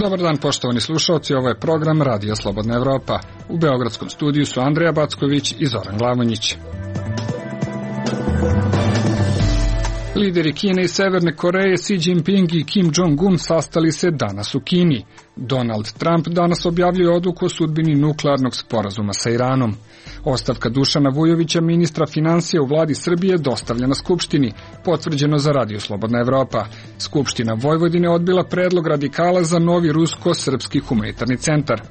Dobar dan, poštovani slušalci, ovo je program Radio Slobodna Evropa. U beogradskom studiju su Andreja Backović i Zoran Glavonjić. Lideri Kine i Severne Koreje Xi Jinping i Kim Jong-un sastali se danas u Kini. Donald Trump danas objavljuje odluku o sudbini nuklearnog sporazuma sa Iranom. Ostavka Dušana Vujovića, ministra finansija u vladi Srbije, dostavljena Skupštini, potvrđeno za Radio Slobodna Evropa. Skupština Vojvodine odbila predlog radikala za novi rusko-srpski humanitarni centar.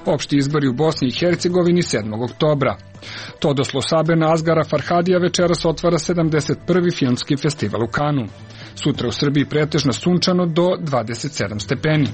Opšti izbori u Bosni i Hercegovini 7. oktobra. Todoslo Sabena Asgara Farhadija večeras otvara 71. filmski festival u Kanu. Sutra u Srbiji pretežno sunčano do 27 stepeni.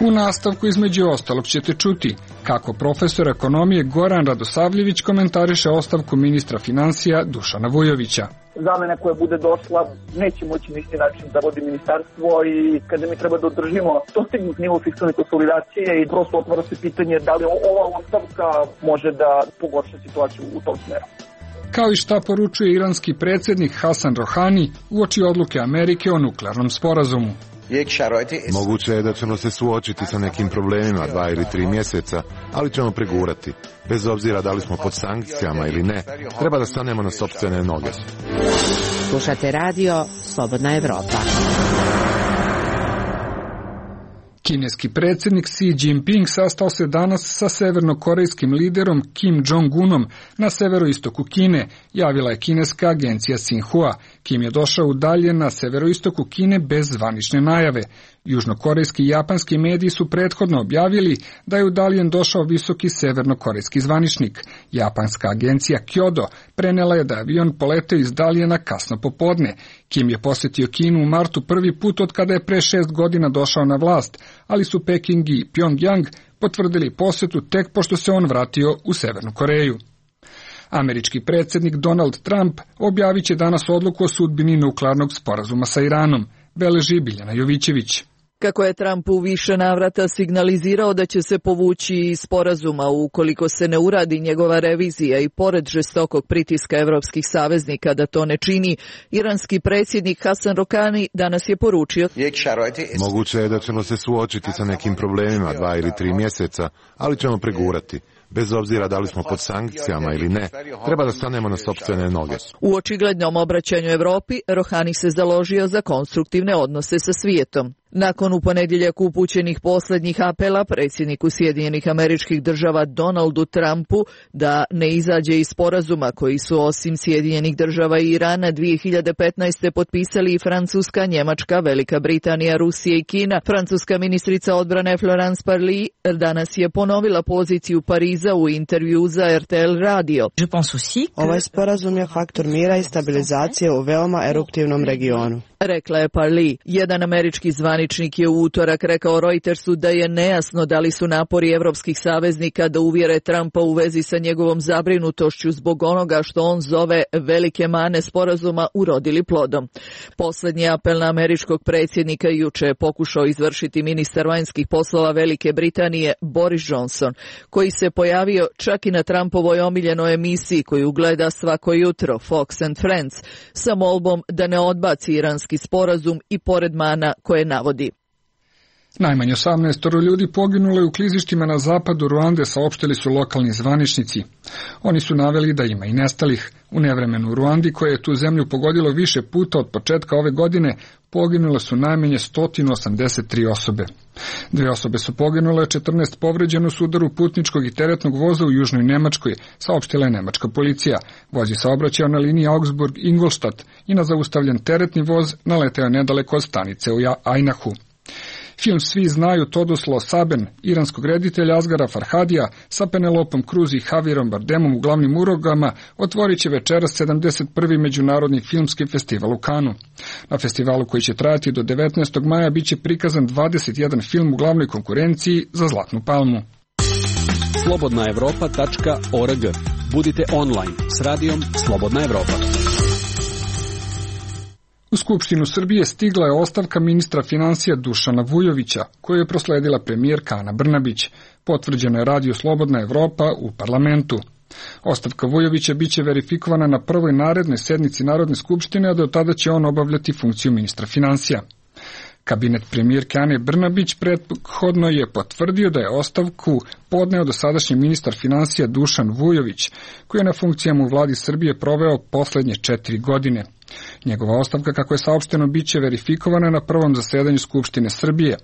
U nastavku između ostalog ćete čuti kako profesor ekonomije Goran Radosavljević komentariše ostavku ministra finansija Dušana Vujovića. Zamena koja bude došla neće moći na isti način da vodi ministarstvo i kada mi treba da održimo dostignut nivo fiskalne konsolidacije i prosto otvara se pitanje da li ova ostavka može da pogorša situaciju u tom smeru. Kao i šta poručuje iranski predsjednik Hasan Rohani uoči odluke Amerike o nuklearnom sporazumu. Moguće je da ćemo se suočiti sa nekim problemima 2 ili 3 mjeseca, ali ćemo pregurati. Bez obzira da li smo pod sankcijama ili ne, treba da stanemo na sopstvene noge. Slušate radio Slobodna Evropa. Kineski predsjednik Xi Jinping sastao se danas sa severnokorejskim liderom Kim Jong-unom na severoistoku Kine, javila je kineska agencija Xinhua. Kim je došao udaljen na severoistoku Kine bez zvanične najave. Južnokorejski i japanski mediji su prethodno objavili da je udaljen došao visoki severnokorejski zvaničnik. Japanska agencija Kyodo prenela je da je avion poleteo iz Daljena kasno popodne. Kim je posjetio Kinu u martu prvi put od kada je pre 6 godina došao na vlast, ali su Peking i Pyongyang potvrdili posjetu tek pošto se on vratio u Severnu Koreju. Američki predsjednik Donald Trump objavit će danas odluku o sudbini nuklearnog sporazuma sa Iranom, beleži Biljana Jovićević. Kako je Trump u više navrata signalizirao da će se povući iz sporazuma ukoliko se ne uradi njegova revizija i pored žestokog pritiska evropskih saveznika da to ne čini, iranski predsjednik Hasan Rohani danas je poručio: Moguće je da ćemo se suočiti sa nekim problemima 2 ili 3 mjeseca, ali ćemo pregurati. Bez obzira da li smo pod sankcijama ili ne, treba da stanemo na sopstvene noge. U očiglednom obraćanju Evropi, Rohani se založio za konstruktivne odnose sa svijetom. Nakon u ponedjeljak upućenih posljednjih apela predsjedniku Sjedinjenih Američkih Država Donaldu Trumpu da ne izađe iz sporazuma koji su osim Sjedinjenih Država i Irana 2015. potpisali i Francuska, Njemačka, Velika Britanija, Rusija i Kina, francuska ministrica odbrane Florence Parly danas je ponovila poziciju Pariza u intervju za RTL radio. Ovaj sporazum je faktor mira i stabilizacije u veoma eruptivnom regionu, rekla je Parly. Jedan američki zvaničnik je u utorak rekao Reutersu da je nejasno da li su napori evropskih saveznika da uvjere Trumpa u vezi sa njegovom zabrinutošću zbog onoga što on zove velike mane sporazuma urodili plodom. Posljednji apel na američkog predsjednika juče je pokušao izvršiti ministar vanjskih poslova Velike Britanije Boris Johnson, koji se pojavio čak i na Trumpovoj omiljenoj emisiji koju gleda svako jutro, Fox and Friends, sa molbom da ne odbaci iranski sporazum i pored mana koje navodi. Najmanje 18 ljudi poginulo je u klizištima na zapadu Ruande, saopštili su lokalni zvaničnici. Oni su naveli da ima i nestalih. U nevremenu u Ruandi, koje je tu zemlju pogodilo više puta od početka ove godine, poginule su najmanje 183 osobe. 2 osobe su poginule, 14 povređeno su udaru putničkog i teretnog voza u južnoj Nemačkoj, saopštila je nemačka policija. Voz je saobraćao na liniji Augsburg-Ingolstadt i na zaustavljen teretni voz naleteo nedaleko od stanice u Ajnahu. Film Svi znaju Todoslo Saben, iranskog reditelja Asgara Farhadija sa Penelopom Cruz i Javierom Bardemom u glavnim ulogama otvorit će večeras 71. međunarodni filmski festival u Kanu. Na festivalu koji će trajati do 19. maja bit će prikazan 21 film u glavnoj konkurenciji za Zlatnu palmu. slobodnaevropa.org. Budite online s radijom Slobodna Evropa. U Skupštinu Srbije stigla je ostavka ministra finansija Dušana Vujovića, koju je prosledila premijerka Ana Brnabić. Potvrđeno je Radio Slobodna Evropa u parlamentu. Ostavka Vujovića biće verifikovana na prvoj narednoj sednici Narodne skupštine, a do tada će on obavljati funkciju ministra finansija. Kabinet premijerke Ane Brnabić prethodno je potvrdio da je ostavku podneo dosadašnji ministar finansija Dušan Vujović, koji je na funkcijama u vladi Srbije proveo poslednje 4 godine. Njegova ostavka, kako je saopšteno, biće verifikovana na prvom zasedanju Skupštine Srbije.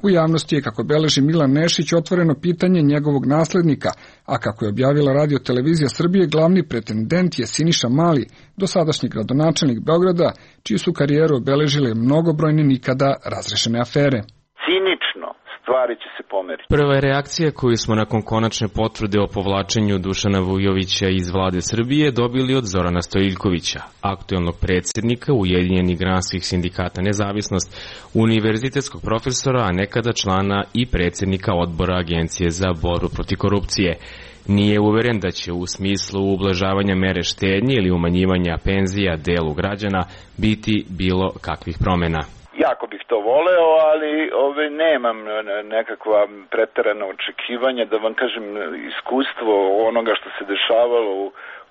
U javnosti je, kako beleži Milan Nešić, otvoreno pitanje njegovog naslednika, a kako je objavila Radio televizija Srbije, glavni pretendent je Siniša Mali, dosadašnji gradonačelnik Beograda, čiju su karijeru obeležile mnogobrojne nikada razrešene afere. Cinično stvari će se pomeriti. Prva je reakcija koju smo nakon konačne potvrde o povlačenju Dušana Vujovića iz vlade Srbije dobili od Zorana Stojiljkovića, aktuelnog predsjednika Ujedinjenih granskih sindikata Nezavisnost, univerzitetskog profesora, a nekada člana i predsjednika odbora Agencije za borbu protiv korupcije. Nije uveren da će u smislu ublažavanja mere štednje ili umanjivanja penzija delu građana biti bilo kakvih promjena. Jako bih to voleo, ali nemam nekakva preterana očekivanja, da vam kažem, iskustvo onoga što se dešavalo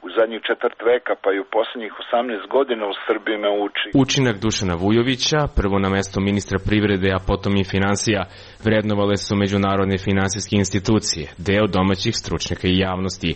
u zadnjih 4 veka, pa i u posljednjih 18 godina u Srbiji me uči. Učinak Dušana Vujovića, prvo na mesto ministra privrede, a potom i finansija, vrednovale su međunarodne finansijske institucije, deo domaćih stručnjaka i javnosti.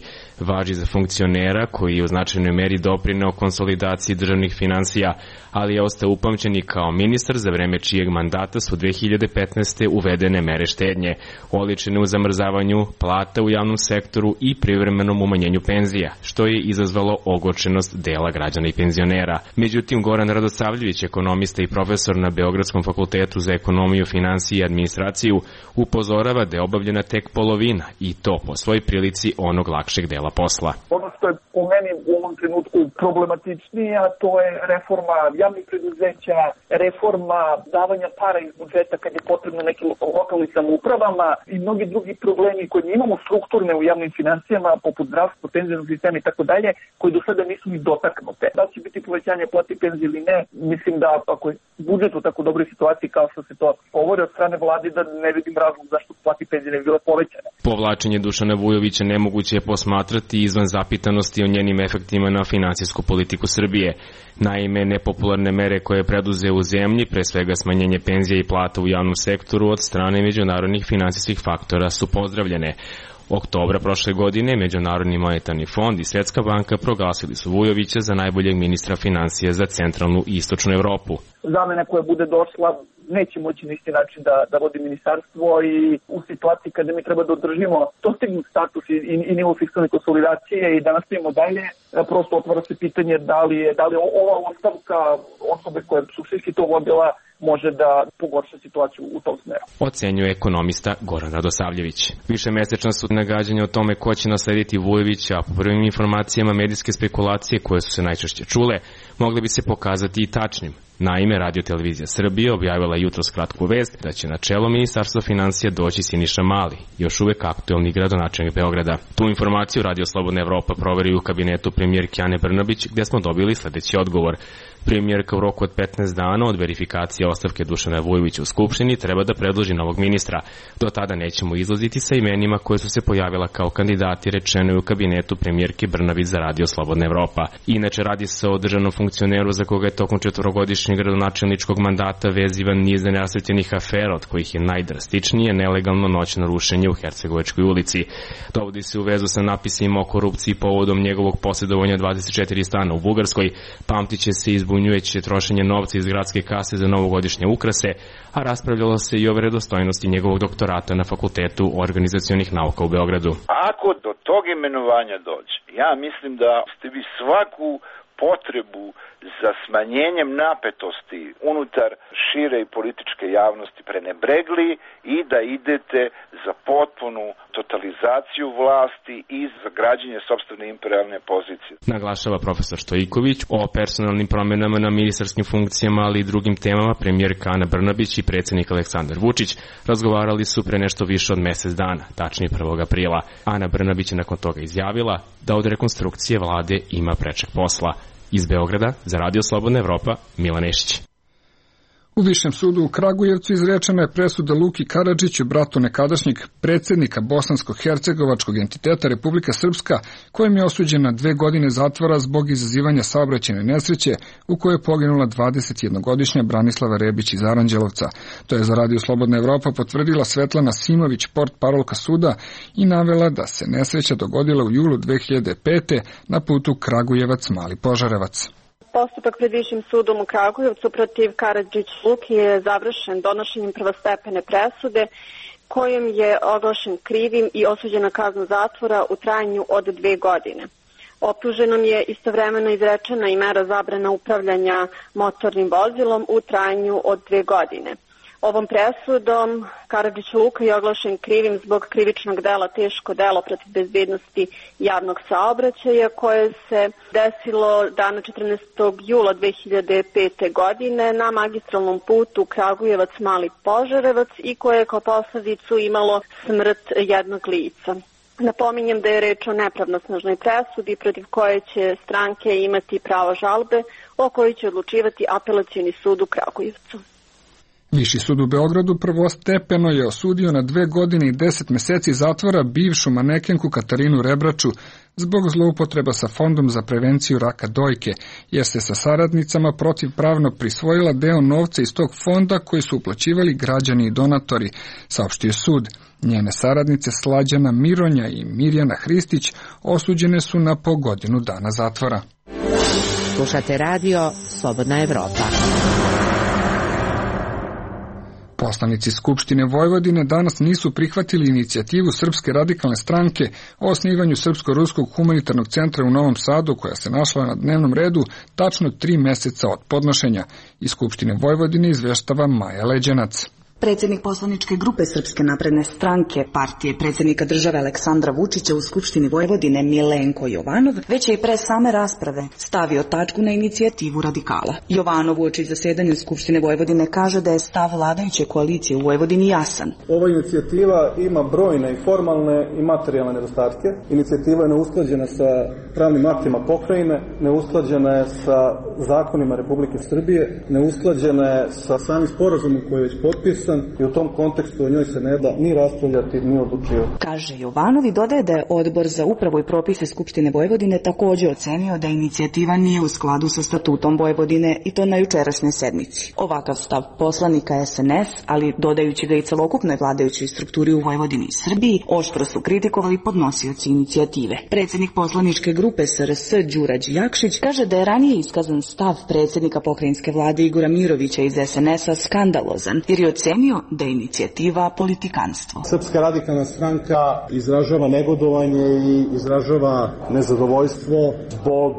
Važi za funkcionera koji je u značajnoj meri doprineo konsolidaciji državnih finansija, ali je ostao upamćen i kao ministar za vreme čijeg mandata su 2015. uvedene mere štednje, oličene u zamrzavanju plata u javnom sektoru i privremenom umanjenju penzija, što je izazvalo ogorčenost dela građana i penzionera. Međutim, Goran Radosavljević, ekonomista i profesor na Beogradskom fakultetu za ekonomiju, finansije i administraciju, upozorava da je obavljena tek polovina i to po svoj prilici onog lakšeg dela posla. Ono što je po meni u ovom trenutku problematičnije, a to je reforma javnih preduzeća, reforma davanja para iz budžeta kad je potrebno nekim lokalnim samoupravama i mnogi drugi problemi koje imamo strukturne u javnim finansijama, poput zdravstva, penzijskog sistema i tako dalje, koji do sada nisu ni dotaknute. Da će biti povećanje plati penzije ili ne, mislim da ako je budžet u tako dobroj situaciji kao što se to govori od strane vlade, da ne vidim razlog zašto plati penzije ne bi bile povećane. Povlačenje Dušana Vujovića nemoguće je posmatrati izvan zapitanosti o njenim efektima na finansijsku politiku Srbije. Naime, nepopularne mere koje je preduzeo u zemlji, pre svega smanjenje penzija i plata u javnom sektoru od strane međunarodnih finansijskih faktora, su pozdravljene. Oktobra prošle godine Međunarodni monetarni fond i Svetska banka proglasili su Vujovića za najboljeg ministra finansija za centralnu i istočnu Evropu. Zamena koja bude došla neće moći na isti način da vodi ministarstvo i u situaciji kada mi treba da održimo dostignut status i nivo fiskalne konsolidacije i da nastavimo dalje, prosto otvara se pitanje da li je ova ostavka osobe koja je suštinski to vodila može da pogorša situaciju u tom smeru. Ocenjuje ekonomista Goran Radosavljević. Višemesečna su nagađanja o tome ko će naslediti Vujovića, a po prvim informacijama medijske spekulacije koje su se najčešće čule, mogle bi se pokazati i tačnim. Naime, Radio televizija Srbije objavila jutros kratku vest da će na čelo Ministarstva finansija doći Siniša Mali, još uvek aktuelni gradonačelnik Beograda. Tu informaciju Radio Slobodna Evropa proveri u kabinetu premijerke Ane Brnabić, gde smo dobili sledeći odgovor. Premijerka u roku od 15 dana od verifikacije ostavke Dušana Vujovića u Skupštini treba da predloži novog ministra. Do tada nećemo izlaziti sa imenima koje su se pojavila kao kandidati, rečeno je u kabinetu premijerke Brnabić za Radio Slobodna Evropa. Inače, radi se o državnom funkcioneru za koga je tokom 4-godišnjeg gradonačelničkog mandata vezivan niz nenasrećenih afera, od kojih je najdrastičnije nelegalno noćno rušenje u Hercegovačkoj ulici. Dovodi se u vezu sa napisima o korupciji povodom njegovog posjedovanja 24 stana u Bugarskoj, pamtiće se izbunjujuće trošenje novca iz gradske kase za novogodišnje ukrase, a raspravljalo se i o vredostojnosti njegovog doktorata na Fakultetu organizacionih nauka u Beogradu. Ako do tog imenovanja dođe, ja mislim da ste vi svaku potrebu za smanjenjem napetosti unutar šire i političke javnosti prenebregli i da idete za potpunu totalizaciju vlasti i za građenje sopstvene imperialne pozicije. Naglašava profesor Stojiković. O personalnim promenama na ministarskim funkcijama, ali i drugim temama premijerka Ana Brnabić i predsjednik Aleksandar Vučić razgovarali su pre nešto više od mesec dana, tačnije 1. aprila. Ana Brnabić je nakon toga izjavila da od rekonstrukcije vlade ima prečeg posla. Iz Beograda, za Radio Slobodna Evropa, Milan Nešić. U Višem sudu u Kragujevcu izrečena je presuda Luki Karadžiću, bratu nekadašnjeg predsjednika bosansko-hercegovačkog entiteta Republika Srpska, kojem je osuđen na 2 godine zatvora zbog izazivanja saobraćajne nesreće u kojoj je poginula 21-godišnja Branislava Rebić iz Aranđelovca. To je za Radio Slobodna Evropa potvrdila Svetlana Simović, portparolka suda, i navela da se nesreća dogodila u julu 2005. na putu Kragujevac-Mali Požarevac. Postupak pred Višim sudom u Kragujevcu protiv Karadžić Luki je završen donošenjem prvostepene presude kojom je oglašen krivim i osuđen na kaznu zatvora u trajanju od 2 godine. Optuženom je istovremeno izrečena i mera zabrana upravljanja motornim vozilom u trajanju od 2 godine. Ovom presudom Karadžić Luka je oglašen krivim zbog krivičnog dela teško delo protiv bezbednosti javnog saobraćaja koje se desilo dana 14. jula 2005. godine na magistralnom putu Kragujevac-Mali Požarevac i koje je kao posljedicu imalo smrt jednog lica. Napominjem da je reč o nepravnosnažnoj presudi protiv koje će stranke imati pravo žalbe o kojoj će odlučivati Apelacioni sud u Kragujevcu. Viši sud u Beogradu prvostepeno je osudio na 2 godine i 10 meseci zatvora bivšu manekenku Katarinu Rebraču zbog zloupotreba sa Fondom za prevenciju raka dojke, jer se sa saradnicama protivpravno prisvojila deo novca iz tog fonda koji su uplaćivali građani i donatori, saopštio sud. Njene saradnice Slađana Mironja i Mirjana Hristić osuđene su na po godinu dana zatvora. Slušate radio Slobodna Evropa. Poslanici Skupštine Vojvodine danas nisu prihvatili inicijativu Srpske radikalne stranke o osnivanju Srpsko-ruskog humanitarnog centra u Novom Sadu, koja se našla na dnevnom redu tačno 3 meseca od podnošenja. Iz Skupštine Vojvodine izveštava Maja Leđenac. Predsjednik poslaničke grupe Srpske napredne stranke, partije predsjednika države Aleksandra Vučića u Skupštini Vojvodine Milenko Jovanov, već je i pre same rasprave stavio tačku na inicijativu radikala. Jovanov uoči zasedanja Skupštine Vojvodine kaže da je stav vladajuće koalicije u Vojvodini jasan. Ova inicijativa ima brojne i formalne i materijalne nedostatke. Inicijativa je neusklađena sa pravnim aktima pokrajine, neusklađena je sa zakonima Republike Srbije, neusklađena je sa samim sporazumom koji je već potpisan i u tom kontekstu o njoj se ne da ni raspravljati ni odlučivati. Kaže Jovanov i dodaje da je Odbor za upravu i propise Skupštine Vojvodine također ocenio da inicijativa nije u skladu sa statutom Vojvodine i to na jučerašnjoj sednici. Ovakav stav poslanika SNS, ali dodajući ga i celokupnoj vladajućoj strukturi u Vojvodini i Srbiji, oštro su kritikovali podnosioci inicijative. Predsjednik poslaničke grupe SRS Đurađ Jakšić kaže da je ranije iskazan stav predsjednika pokrajinske vlade Igora Mirovića iz SNS-a skandalozan, jer je ocenio da je inicijativa politikanstvo. Srpska radikalna stranka izražava negodovanje i izražava nezadovoljstvo zbog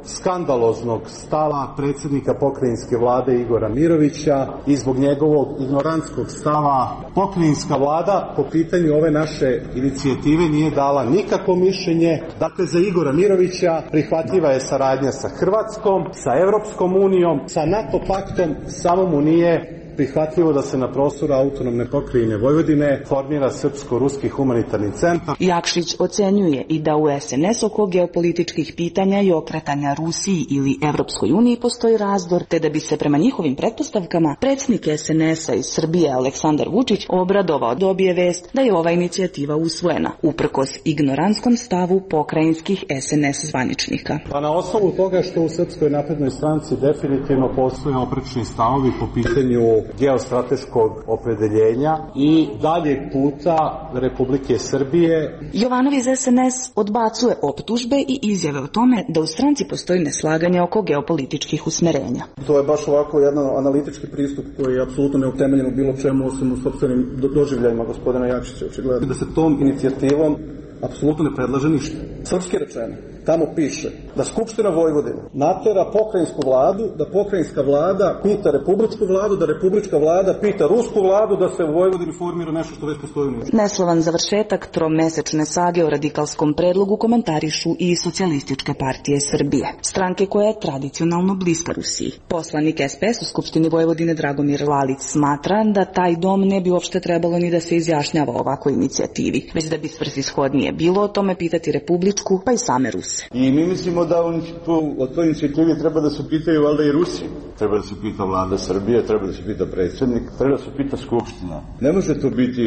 skandaloznog stava predsjednika pokrajinske vlade Igora Mirovića i zbog njegovog ignorantskog stava. Pokrajinska vlada po pitanju ove naše inicijative nije dala nikakvo mišljenje. Dakle, za Igora Mirovića prihvatljiva je saradnja sa Hrvatskom, sa Evropskom unijom, sa NATO paktom, samo mu nije prihvatljivo da se na prostoru autonomne pokrajine Vojvodine formira Srpsko-ruski humanitarni centar. Jakšić ocenjuje i da u SNS oko geopolitičkih pitanja i okretanja Rusiji ili Evropskoj uniji postoji razdor, te da bi se prema njihovim pretpostavkama predsjednik SNS-a iz Srbije Aleksandar Vučić obradovao dobije vest da je ova inicijativa usvojena, uprkos ignorantskom stavu pokrajinskih SNS zvaničnika. Pa na osnovu toga što u Srpskoj naprednoj stranci definitivno postoje oprečni stavovi po pitanju geostrateškog opredeljenja i daljeg puta Republike Srbije. Jovanov iz SNS odbacuje optužbe i izjave o tome da u stranci postoji neslaganje oko geopolitičkih usmerenja. To je baš ovako jedan analitički pristup koji je apsolutno neutemeljen u bilo čemu osim u sopstvenim doživljajima gospodina Jakšića, očigledno. Da se tom inicijativom apsolutno ne predlaže ništa. Srpski rečeno, tamo piše da Skupština Vojvodine natera pokrajinsku vladu, da pokrajinska vlada pita republičku vladu, da republička vlada pita rusku vladu da se u Vojvodini formira nešto što već postoji u njoj. Neslovan završetak tromesečne sage o radikalskom predlogu komentarišu i Socijalističke partije Srbije, stranke koja je tradicionalno bliska Rusiji. Poslanik SPS u Skupštini Vojvodine Dragomir Lalić smatra da taj dom ne bi uopšte trebalo ni da se izjašnjava o ovakvoj inicijativi, već da bi svrsishodnije nije bilo o tome pitati Republičku, pa i same Ruse. I mi mislimo da o toj inicijativi treba da se pitaju valjda i Rusi. Treba da se pita vlada Srbije, treba da se pita predsjednik, treba da se pita Skupština. Ne može to biti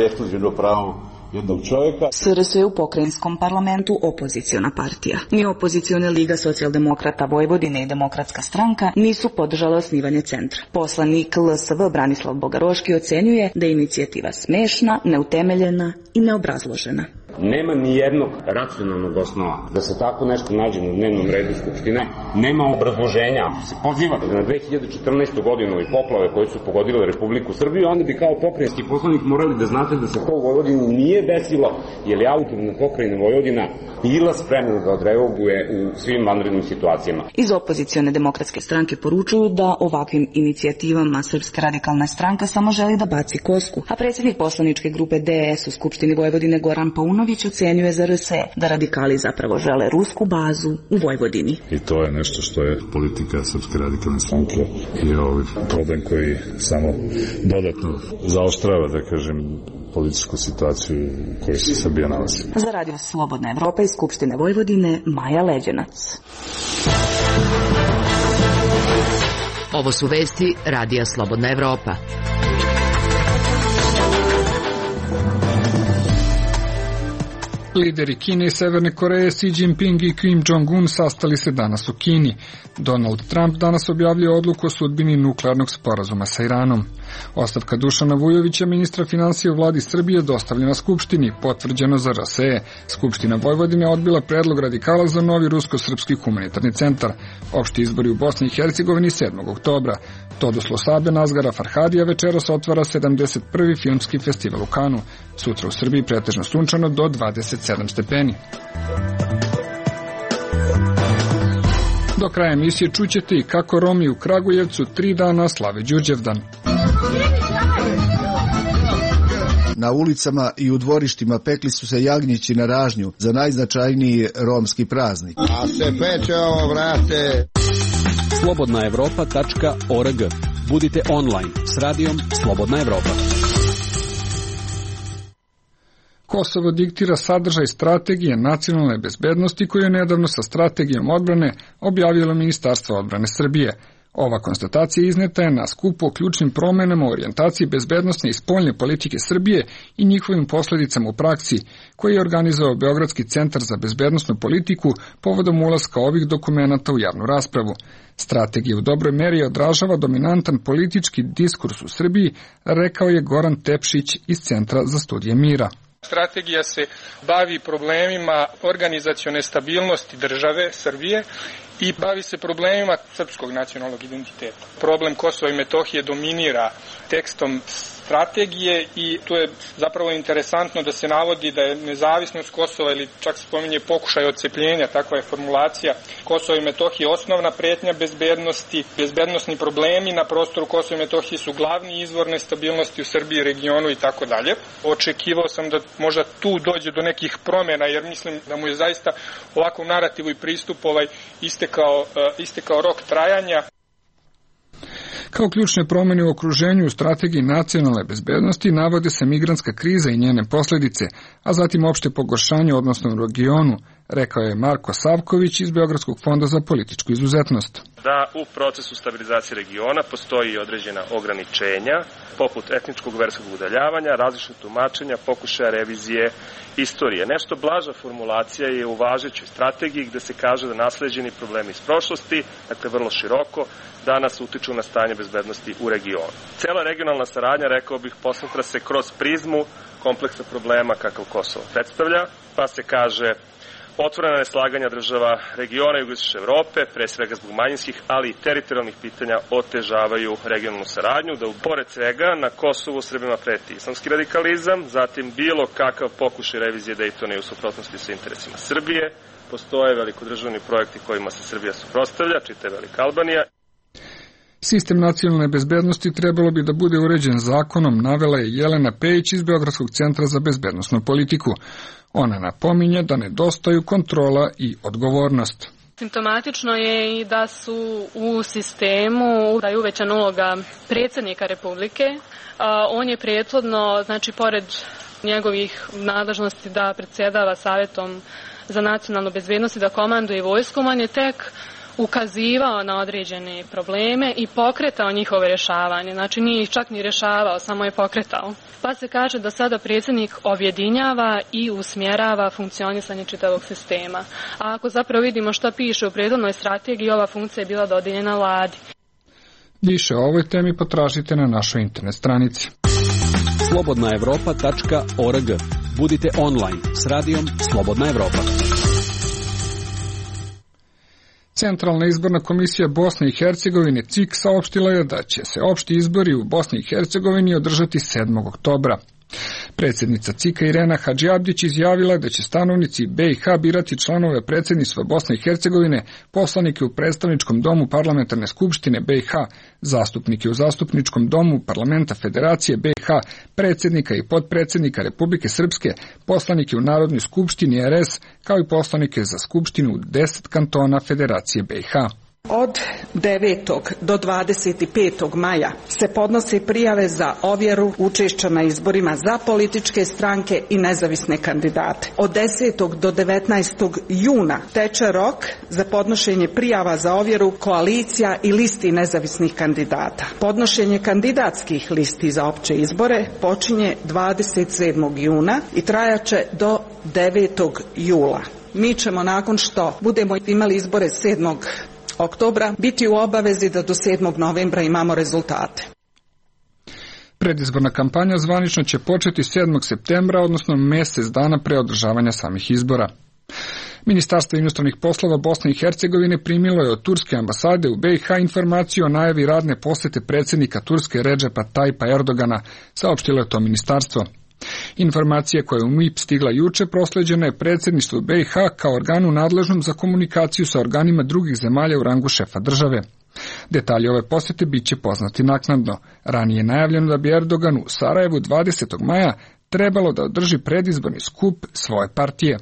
ekskluzivno pravo jednog čovjeka. SRS je u pokrajinskom parlamentu opoziciona partija. Ni opozicione Liga socijaldemokrata Vojvodine i Demokratska stranka nisu podržale osnivanje centra. Poslanik LSV Branislav Bogaroški ocenjuje da je inicijativa smešna, neutemeljena i neobrazložena. Nema ni jednog racionalnog osnova da se tako nešto nađe na dnevnom redu Skupštine. Nema obrazloženja. Ako se pozivate na 2014. godinu i poplave koje su pogodile Republiku Srbiju, onda bi kao pokrajinski poslanik morali da znate da se to u Vojvodini nije desilo, jer je autonomna pokrajina Vojvodina bila spremna da odreaguje u svim vanrednim situacijama. Iz opozicione Demokratske stranke poručuju da ovakvim inicijativama Srpska radikalna stranka samo želi da baci kosku, a predsjednik poslaničke grupe DS u Skupštini Vojvodine Goran Paunović ocenjuje za RS da radikali zapravo žele rusku bazu u Vojvodini. I to je nešto što je politika Srpske radikalne stranke i problem koji samo dodatno zaoštrava, da kažem, političku situaciju u kojoj se Srbija nalazi. Za Radio Slobodna Evropa iz Skupštine Vojvodine, Maja Leđenac. Ovo su vesti Radija Slobodna Evropa. Lideri Kine i Severne Koreje Xi Jinping i Kim Jong-un sastali se danas u Kini. Donald Trump danas objavljuje odluku o sudbini nuklearnog sporazuma sa Iranom. Ostavka Dušana Vujovića, ministra finansija u vladi Srbije, dostavljena Skupštini, potvrđeno za RSE. Skupština Vojvodine odbila predlog radikala za novi rusko-srpski humanitarni centar. Opšti izbori u Bosni i Hercegovini 7. oktobra. Todoslo Sabe Nazgara Farhadija večeras otvara 71. filmski festival u Kanu. Sutra u Srbiji pretežno sunčano do 27 stepeni. Do kraja emisije čućete i kako Romi u Kragujevcu 3 dana slave Đurđevdan. Na ulicama i u dvorištima pekli su se jagnjići na ražnju za najznačajniji romski praznik. A se peče ovo, vrate! slobodnaevropa.org. Budite online s radijom Slobodna Evropa. Kosovo diktira sadržaj strategije nacionalne bezbednosti koju je nedavno sa strategijom odbrane objavilo Ministarstvo odbrane Srbije. Ova konstatacija izneta je na skupu o ključnim promenama u orijentaciji bezbednosne i spoljne politike Srbije i njihovim posledicama u praksi, koji je organizovao Beogradski centar za bezbednosnu politiku povodom ulaska ovih dokumenata u javnu raspravu. Strategija u dobroj meri odražava dominantan politički diskurs u Srbiji, rekao je Goran Tepšić iz Centra za studije mira. Strategija se bavi problemima organizacione stabilnosti države Srbije i bavi se problemima srpskog nacionalnog identiteta. Problem Kosova i Metohije dominira tekstom strategije i tu je zapravo interesantno da se navodi da je nezavisnost Kosova ili čak se spominje pokušaj odcepljenja, takva je formulacija, Kosova i Metohije osnovna pretnja bezbednosti, bezbednosni problemi na prostoru Kosova i Metohije su glavni izvor nestabilnosti u Srbiji, regionu i tako dalje. Očekivao sam da možda tu dođe do nekih promjena jer mislim da mu je zaista ovakvom narativu i pristup istekao rok trajanja. Kao ključne promjene u okruženju u strategiji nacionalne bezbednosti navode se migrantska kriza i njene posljedice, a zatim opšte pogoršanje odnosno u regionu, rekao je Marko Savković iz Beogradskog fonda za političku izuzetnost. Da u procesu stabilizacije regiona postoji određena ograničenja, poput etničkog verskog udaljavanja, različitog tumačenja, pokušaja revizije istorije. Nešto blaža formulacija je u važećoj strategiji gde se kaže da nasleđeni problemi iz prošlosti, dakle vrlo široko, danas utiču na stanje bezbednosti u regionu. Cela regionalna saradnja, rekao bih, posmatra se kroz prizmu kompleksa problema kakav Kosovo predstavlja, pa se kaže otvorena neslaganja država regiona jugoistočne Evrope, pre svega zbog manjinskih, ali i teritorijalnih pitanja otežavaju regionalnu saradnju, da pored svega na Kosovu Srbima preti islamski radikalizam, zatim bilo kakav pokušaj revizije Dejtona i u suprotnosti sa interesima Srbije, postoje velikodržavni projekti kojima se Srbija suprotstavlja, čita je Velika Albanija. Sistem nacionalne bezbednosti trebalo bi da bude uređen zakonom, navela je Jelena Pejić iz Beogradskog centra za bezbednosnu politiku. Ona napominje da nedostaju kontrola i odgovornost. Simptomatično je i da su u sistemu da je uvećana uloga predsjednika Republike. On je prethodno, znači pored njegovih nadležnosti da predsjedava Savjetom za nacionalnu bezbednost i da komanduje vojskom, on je tek ukazivao na određene probleme i pokretao njihove rješavanje. Znači nije ih čak ni rješavao, samo je pokretao. Pa se kaže da sada predsjednik objedinjava i usmjerava funkcionisanje čitavog sistema. A ako zapravo vidimo šta piše u prethodnoj strategiji, ova funkcija je bila dodijeljena vladi. Više o ovoj temi potražite na našoj internet stranici. slobodnaevropa.org. Budite online s radijom Slobodna Evropa. Centralna izborna komisija Bosne i Hercegovine CIK saopštila je da će se opšti izbori u Bosni i Hercegovini održati 7. oktobra. Predsjednica CIK-a Irena Hadžiabdić izjavila da će stanovnici BiH birati članove predsjedništva Bosne i Hercegovine, poslanike u predstavničkom domu Parlamentarne skupštine BiH, zastupnike u zastupničkom domu Parlamenta Federacije BiH, predsjednika i potpredsjednika Republike Srpske, poslanike u Narodnoj skupštini RS, kao i poslanike za skupštinu 10 kantona Federacije BiH. Od 9. do 25. maja se podnose prijave za ovjeru učešća na izborima za političke stranke i nezavisne kandidate. Od 10. do 19. juna teče rok za podnošenje prijava za ovjeru koalicija i listi nezavisnih kandidata. Podnošenje kandidatskih listi za opće izbore počinje 27. juna i trajaće do 9. jula. Mi ćemo nakon što budemo imali izbore 7. oktobra biti u obavezi da do 7. novembra imamo rezultate. Predizborna kampanja zvanično će početi 7. septembra, odnosno mjesec dana pre održavanja samih izbora. Ministarstvo inostranih poslova Bosne i Hercegovine primilo je od turske ambasade u BiH informaciju o najavi radne posjete predsjednika Turske Redžepa Tajpa Erdogana, saopštilo je to ministarstvo. Informacija koja je u MIP stigla juče prosleđena je predsjedništvu BiH kao organu nadležnom za komunikaciju sa organima drugih zemalja u rangu šefa države. Detalji ove posjete bit će poznati naknadno. Ranije je najavljeno da bi Erdogan u Sarajevu 20. maja trebalo da održi predizborni skup svoje partije.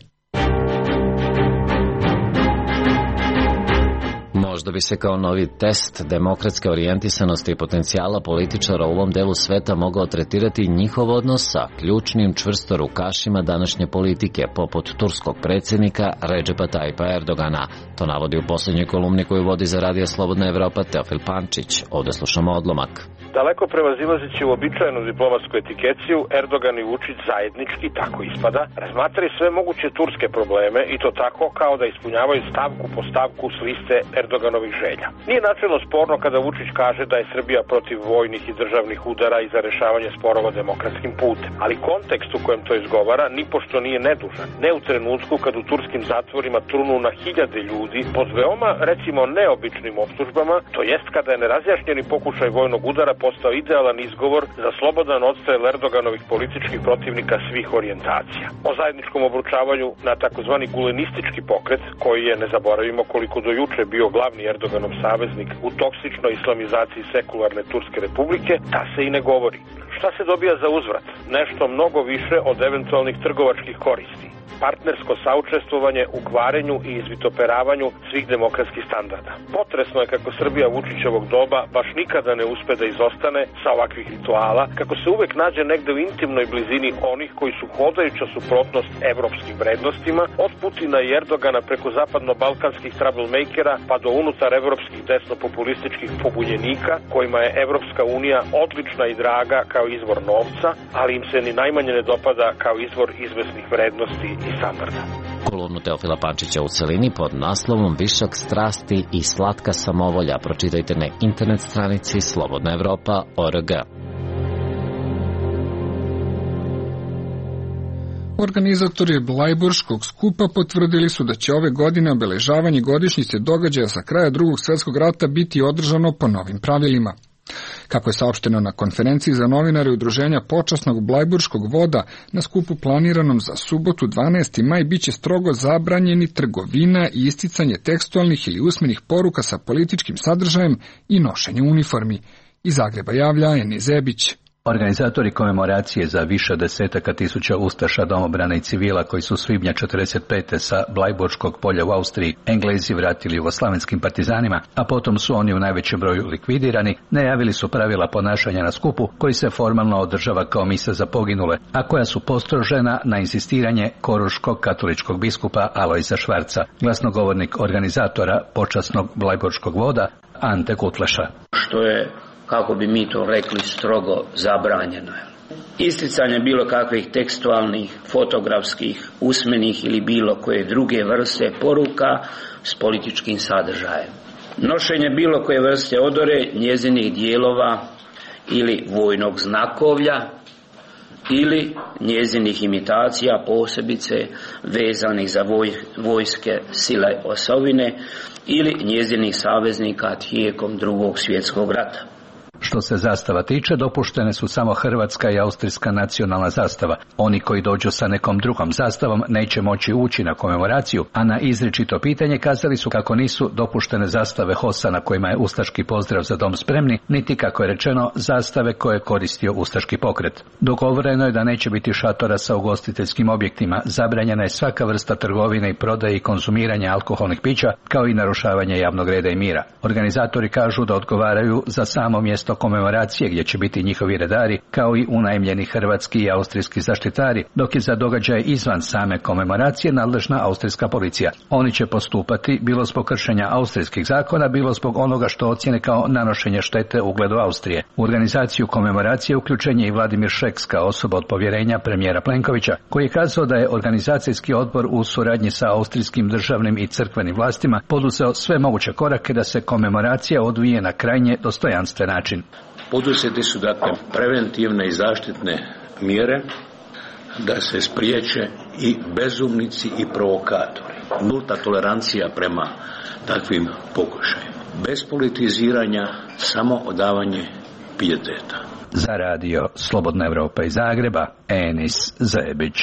Možda bi se kao novi test demokratske orijentisanosti i potencijala političara u ovom delu sveta mogao tretirati njihov odnos sa ključnim čvrstorukašima današnje politike, poput turskog predsjednika Redžepa Tajpa Erdogana. To navodi u posljednjoj kolumni koju vodi za Radio Slobodna Evropa Teofil Pančić. Ovdje slušamo odlomak. Daleko prevazilazeći uobičajenu diplomatsku etikeciju, Erdogan i Vučić zajednički, tako ispada, razmatraju sve moguće turske probleme i to tako kao da ispunjavaju stavku po stavku s liste Erdoganovih želja. Nije načelno sporno kada Vučić kaže da je Srbija protiv vojnih i državnih udara i za rešavanje sporova demokratskim putem, ali kontekst u kojem to izgovara nipošto nije nedužan. Ne u trenutku kad u turskim zatvorima trunu na hiljade ljudi pod veoma, recimo, neobičnim optužbama, to jest kada je nerazjašnjeni pokušaj vojnog udara postao idealan izgovor za slobodan odstrel Erdoganovih političkih protivnika svih orijentacija. O zajedničkom obručavanju na takozvani gulenistički pokret, koji je, ne zaboravimo, koliko do juče bio glavni Erdoganov saveznik u toksičnoj islamizaciji sekularne Turske republike, ta se i ne govori. Šta se dobija za uzvrat? Nešto mnogo više od eventualnih trgovačkih koristi. Partnersko saučestvovanje u kvarenju i izvitoperavanju svih demokratskih standarda. Potresno je kako Srbija Vučićevog doba baš nikada ne uspe da izostane sa ovakvih rituala, kako se uvek nađe negde u intimnoj blizini onih koji su hodajuća suprotnost evropskim vrednostima, od Putina i Erdogana preko zapadno-balkanskih troublemakera pa do unutar evropskih desno-populističkih pobunjenika, kojima je Evropska unija odlična i draga kao izvor novca, ali im se ni najmanje ne dopada kao izvor izvesnih vrednosti i standarda. Kolumnu Teofila Pančića u celini pod naslovom Višak strasti i slatka samovolja pročitajte na internet stranici slobodnaevropa.org. Organizatori Blajburškog skupa potvrdili su da će ove godine obeležavanje godišnjice događaja sa kraja Drugog svjetskog rata biti održano po novim pravilima. Kako je saopšteno na konferenciji za novinare Udruženja počasnog Blajburškog voda, na skupu planiranom za subotu 12. maj biće strogo zabranjeni trgovina i isticanje tekstualnih ili usmenih poruka sa političkim sadržajem i nošenje uniformi. Iz Zagreba javlja Eni Zebić. Organizatori komemoracije za više desetaka tisuća ustaša, domobrana i civila koji su svibnja 45. sa Blajburškog polja u Austriji Englezi vratili jugoslavenskim partizanima, a potom su oni u najvećem broju likvidirani, najavili su pravila ponašanja na skupu koji se formalno održava kao misa za poginule, a koja su postrožena na insistiranje koruškog katoličkog biskupa Alojza Švarca, glasnogovornik organizatora počasnog Blajburškog voda Ante Kutleša. Što je, kako bi mi to rekli, strogo zabranjeno. Isticanje bilo kakvih tekstualnih, fotografskih, usmenih ili bilo koje druge vrste poruka s političkim sadržajem. Nošenje bilo koje vrste odore, njezinih dijelova ili vojnog znakovlja ili njezinih imitacija, posebice vezanih za vojske sile osovine ili njezinih saveznika tijekom Drugog svjetskog rata. Što se zastava tiče, dopuštene su samo hrvatska i austrijska nacionalna zastava. Oni koji dođu sa nekom drugom zastavom neće moći ući na komemoraciju, a na izričito pitanje kazali su kako nisu dopuštene zastave HOS-a na kojima je ustaški pozdrav za dom spremni, niti, kako je rečeno, zastave koje je koristio ustaški pokret. Dogovoreno je da neće biti šatora sa ugostiteljskim objektima, zabranjena je svaka vrsta trgovine i prodaje i konzumiranja alkoholnih pića, kao i narušavanje javnog reda i mira. Organizatori kažu da odgovaraju za samo mjesto komemoracije gdje će biti njihovi redari, kao i unajmljeni hrvatski i austrijski zaštitari, dok je za događaje izvan same komemoracije nadležna austrijska policija. Oni će postupati bilo zbog kršenja austrijskih zakona, bilo zbog onoga što ocjene kao nanošenje štete ugledu Austrije. U organizaciju komemoracije uključen je i Vladimir Šeks kao osoba od povjerenja premijera Plenkovića, koji je kazao da je organizacijski odbor u suradnji sa austrijskim državnim i crkvenim vlastima poduzeo sve moguće korake da se komemoracija odvije na krajnje dostojanstven način. Poduzete su dakle preventivne i zaštitne mjere da se spriječe i bezumnici i provokatori. Nulta tolerancija prema takvim pokušajima. Bez politiziranja, samo odavanje pijeteta. Za radio Slobodna Evropa iz Zagreba, Enis Zebić.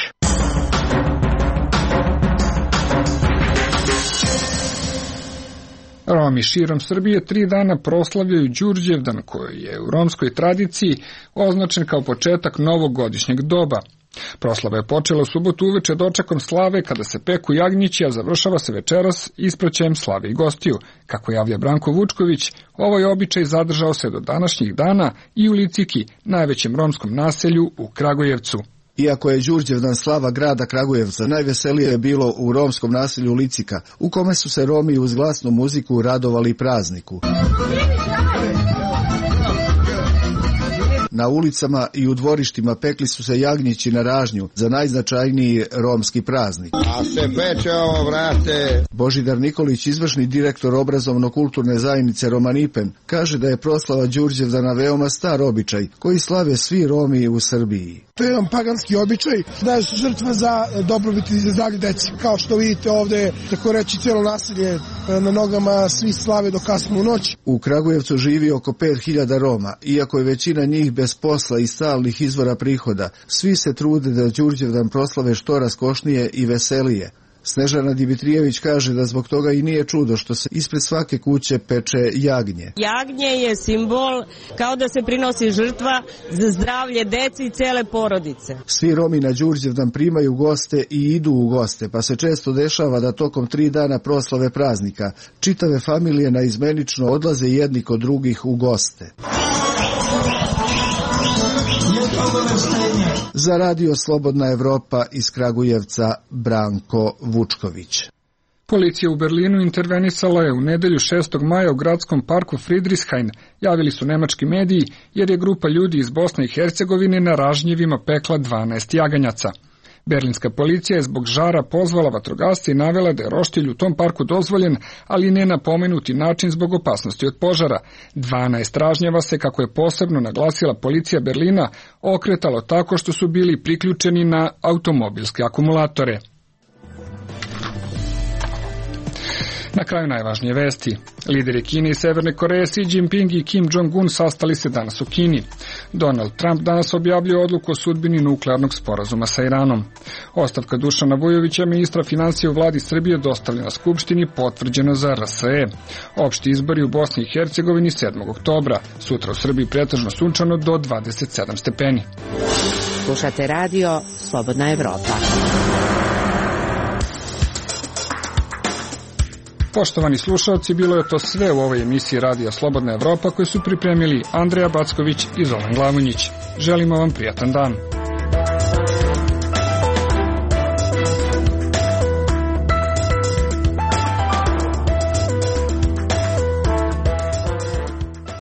Romi širom Srbije 3 dana proslavljaju Đurđevdan, koji je u romskoj tradiciji označen kao početak novog godišnjeg doba. Proslava je počela u subotu uveče dočekom slave kada se peku jagnjići, a završava se večeras ispraćajem slave i gostiju. Kako javlja Branko Vučković, ovaj običaj zadržao se do današnjih dana i u Liciki, najvećem romskom naselju u Kragujevcu. Iako je Đurđevdan slava grada Kragujevca, najveselije je bilo u romskom naselju Licika, u kome su se Romi uz glasnu muziku radovali prazniku. Na ulicama i u dvorištima pekli su se jagnjići na ražnju za najznačajniji romski praznik. A se peče ovo, vrate! Božidar Nikolić, izvršni direktor obrazovno-kulturne zajednice Romanipen, kaže da je proslava Đurđevdana veoma star običaj koji slave svi Romi u Srbiji. To je jedan paganski običaj, da je žrtva za dobrobit i za zdravlje deci. Kao što vidite ovde, tako reći, cijelo naselje na nogama, svi slave do kasno u noć. U Kragujevcu živi oko 5000 Roma, iako je većina njih bez posla i stalnih izvora prihoda. Svi se trude da Đurđevdan proslave što raskošnije i veselije. Snežana Dimitrijević kaže da zbog toga i nije čudo što se ispred svake kuće peče jagnje. Jagnje je simbol kao da se prinosi žrtva za zdravlje deci i cele porodice. Svi Romi na Đurđevdan primaju goste i idu u goste, pa se često dešava da tokom 3 dana proslave praznika čitave familije naizmenično odlaze jedni kod drugih u goste. Za radio Slobodna Evropa iz Kragujevca, Branko Vučković. Policija u Berlinu intervenisala je u nedelju 6. maja u gradskom parku Friedrichshain, javili su nemački mediji, jer je grupa ljudi iz Bosne i Hercegovine na ražnjevima pekla 12 jaganjaca. Berlinska policija je zbog žara pozvala vatrogasce i navela da je roštilj u tom parku dozvoljen, ali ne na pomenuti način zbog opasnosti od požara. 12 ražnjeva se, kako je posebno naglasila policija Berlina, okretalo tako što su bili priključeni na automobilske akumulatore. Na kraju najvažnije vesti. Lideri Kine i Severne Koreje Xi Jinping i Kim Jong-un sastali se danas u Kini. Donald Trump danas objavljuje odluku o sudbini nuklearnog sporazuma sa Iranom. Ostavka Dušana Vujovića, ministra financija u vladi Srbije, dostavljena Skupštini, potvrđena za RSE. Opšti izbori u Bosni i Hercegovini 7. oktobra. Sutra u Srbiji pretežno sunčano do 27 stepeni. Slušate radio Slobodna Evropa. Poštovani slušalci, bilo je to sve u ovoj emisiji Radija Slobodna Evropa koju su pripremili Andreja Backović i Zoran Glavonjić. Želimo vam prijatan dan.